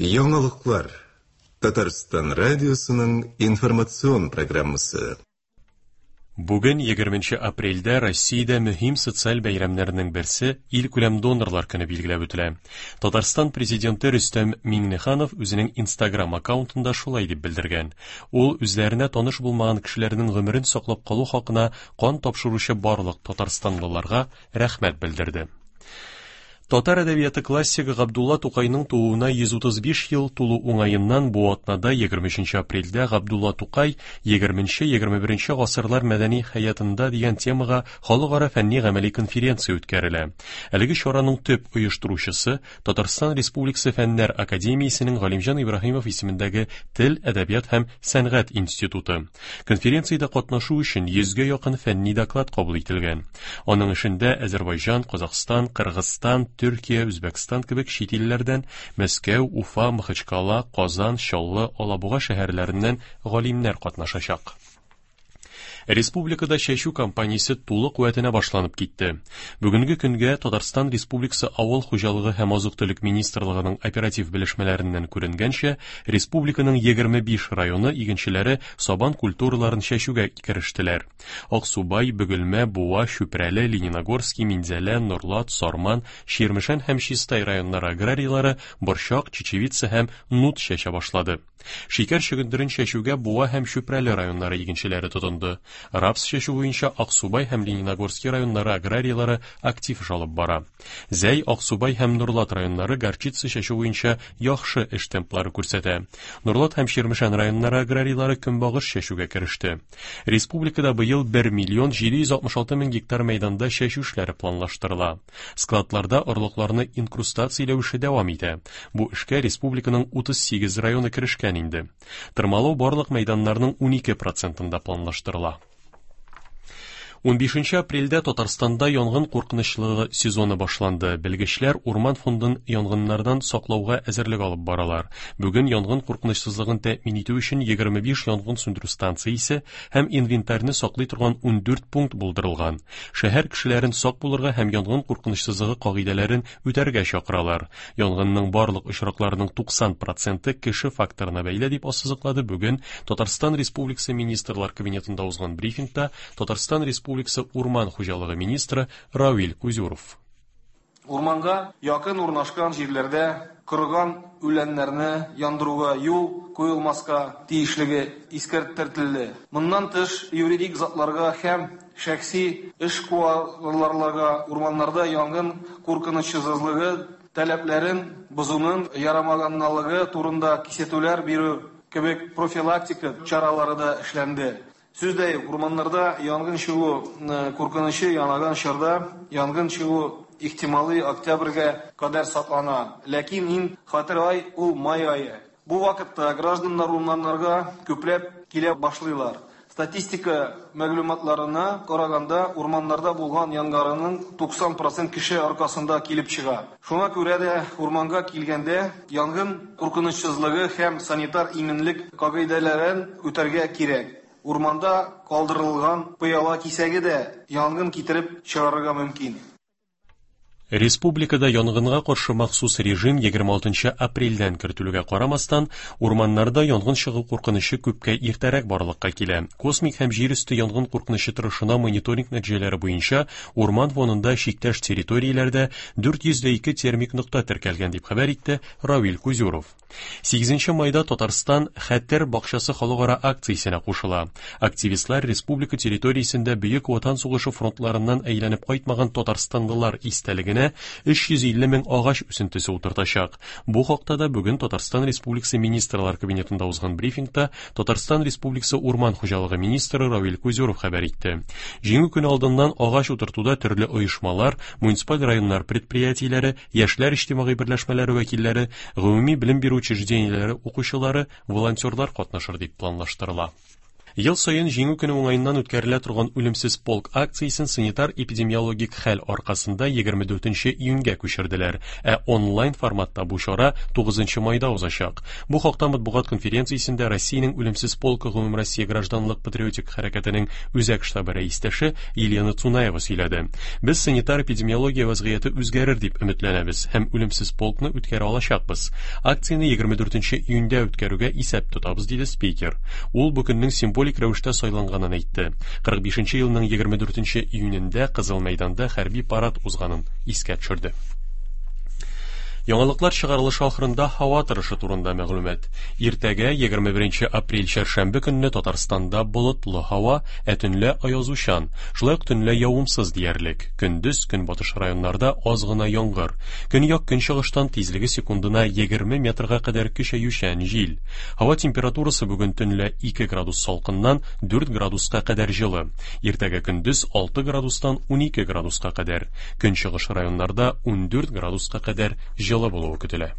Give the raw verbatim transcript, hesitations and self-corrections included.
Яңалыклар. Татарстан радиосының информацион программасы. Бүген егерменче апрельдә Россиядә мөһим социаль бәйрәмнәрнең берсе Илкүләм донорлар көне билгеләп үтелә. Татарстан президенты Рөстәм Миңнеханов үзенең Instagram аккаунтында шулай дип белдергән. Ул үзләренә таныш булмаган кешеләрнең гомерен саклап калу хакына кан тапшыручы барлык татарстанлыларга рәхмәт белдерде. Татар әдәбияты классигы Габдулла Тукайның тууына йөз утыз биш ел тулу уңаеннан бу атнада егерме өченче апрельдә Габдулла Тукай егерменче-егерме беренче гасырлар мәдәни хәятында дигән темага халыкара фәнни гамәли конференция үткәрелә. Әлеге чараның төп оештыручысы Татарстан Республикасы Фәннәр Академиясенең Галимҗан Ибраһимов исемендәге Тел, Әдәбият һәм Сәнгать институты. Конференциядә катнашу өчен йөзгә якын фәнни доклад кабул ителгән. Аның эшендә Азербайҗан, Казахстан, Кыргызстан, Төркия, Үзбәкстан кебек чит илләрдән, Мәскәү, Уфа, Махачкала, Казан, Чаллы, Алабуга шәһәрләреннән галимнәр катнашачак. Республикада чәчү кампаниясе тулы куәтенә башланып китте. Бүгенге көнгә Татарстан Республикасы Авыл хуҗалыгы һәм азык-төлек министрлыгының оператив белешмәләреннән күренгәнчә, республиканың егерме биш районы игенчеләре сабан культураларын чәчүгә керештеләр. Аксубай, Бөгелмә, Буа, Чүпрәле, Лениногорский, Минзәлә, Норлат, Сарман, Чирмешән һәм Чистай районнары аграрийлары борчак, чечевица һәм нут чәчә башлады. Шикәр чөгендерен чәчүгә Буа һәм Чүпрәле районнары игенчеләре тотынды. Рапс чәчү буенча Аксубай һәм Лениногорский районнары аграрийлары актив эш алып бара. Зәй, Аксубай һәм Нурлат районнары горчица чәчү буенча яхшы эш темплары күрсәтә. Нурлат һәм Чирмешән районнары аграрийлары көнбагыш чәчүгә кереште. Республикада быел бер миллион җиде йөз алтмыш алты мең гектар мәйданда чәчү эшләре планлаштырыла. Складларда орлыкларны инкрустацияләү эше дәвам итә. Бу эшкә республиканың утыз сигез районы керешкән инде. Тырмалау барлык мәйданнарның унике процентында планлаштырыла. Унбишенче апрельдә Татарстанда янгын куркынычлыгы сезоны башланды. Белгечләр урман фондын янгыннардан саклауга әзерлек алып баралар. Бүген янгын куркынычсызлыгын тәэмин итү өчен егерме биш янгын сүндерү станциясе һәм инвентарьны саклый торган ундүрт пункт булдырылган. Шәһәр кешеләрен сак булырга һәм янгын куркынычсызлыгы кагыйдәләрен үтәргә чакыралар. Янгынның барлык очракларының туксан проценты кеше факторына бәйле дип ассызыклады бүген Татарстан Республикасы Министрлар Кабинетында узган брифингта Татарстан Республикасы Урман хуҗалыгы министры Равил Кузюров. Урманга якын урнашкан җирләрдә корыган үләннәрне яндыруга юл куелмаска тиешлеге искәртелде. Моннан тыш, юридик затларга һәм шәхси эшкуарларга урманнарда янгын куркынычсызлыгы таләпләрен бозуның ярамаганлыгы турында кисәтүләр бирү кебек профилактика чаралары да эшләнде. Сүз дә юк, урманнарда янгын чыгу, э, куркынычы янаган чорда янгын чыгу ихтималы октябрьгә кадәр саклана. Ләкин иң хәтәр ай ул май ае. Бу вакытта гражданнар урманнарга күпләп килә башлыйлар. Статистика мәгълүматларына караганда, урманнарда булган янгыннарның туксан процент кеше аркасында килеп чыга. Шуңа күрә дә урманга килгәндә янгын куркынычсызлыгы һәм санитар иминлек кагыйдәләрен үтәргә кирәк. Урманда калдырылган пыяла кисәге дә янгын китереп чыгарырга мөмкин. Республикада янгынга каршы махсус режим егерме алтынчы апрельдән кертелүгә карамастан, урманнарда янгын чыгу куркынычы күпкә иртәрәк барлыкка килә. Космик һәм җир өсте янгын куркынычы торышына мониторинг нәтиҗәләре буенча урман фонында чиктәш территорияләрдә дүрт йөз дә ике термик нокта теркәлгән дип хәбәр итте Равил Кузюров. Сигезенче майда Татарстан Хәтер бакчасы халыкара акциясенә кушыла. Активистлар республика территориясендә Бөек Ватан сугышы фронтларыннан әйләнеп кайтмаган татарстанлылар истәлегенә өч йөз илле мең агач үсентесе утыртачак. Бу хакта да бүген Татарстан Республикасы Министрлар Кабинетында узган брифингта Татарстан Республикасы Урман хуҗалыгы министры Равил Кузюров хәбәр итте. Җиңү көне алдыннан агач утыртуда төрле оешмалар, муниципаль районнар предприятиеләре, яшьләр иҗтимагый берләшмәләре вәкилләре, гомуми белем бирү учреждениеләре укучылары, волонтерлар катнашыр дип планлаштырыла. Ел саен Җиңү көне уңаеннан үткәрелә торган Үлемсез полк акциясен санитар-эпидемиологик хәл аркасында егерме дүртенче июньгә күчерделәр, ә онлайн форматта бу чара тугызынчы майда узачак. Бу хакта матбугат конференциясендә Россиянең Үлемсез полкы Гомумроссия гражданлык патриотик хәрәкәтенең үзәк штабы рәистәше Елена Цунаева сөйләде. Без санитар-эпидемиология вазгыяте үзгәрер дип өметләнәбез һәм Үлемсез полкны үткәрә алачакбыз. Акцияне егерме дүртенче июньдә үткәрүгә исәп тотабыз, диде спикер. Ул бу көннең символик рәвештә сайланганын әйтте. Кырык бишенче елның егерме дүртенче июнендә Кызыл мәйданда хәрби парад узганын искә төшерде. Яңалыклар чыгарылышы ахырында һава торышы турында мәгълүмат. Иртәгә егерме беренче апрель чәршәмбе көнне Татарстанда болытлы һава, ә төнлә аязучан, шулай ук төнлә явымсыз диярлек. Көндез көнбатыш районнарда аз гына яңгыр. Көньяк көнчыгыштан тизлеге секундына егерме метрга кадәр көчәючән җил. Һава температурасы бүген төнлә ике градус салкыннан дүрт градуска кадәр җылы. Иртәгә көндез алты градустан унике градуска кадәр. Көнчыгыш районнарда ундүрт градуска кадәр җылы булуы көтелә.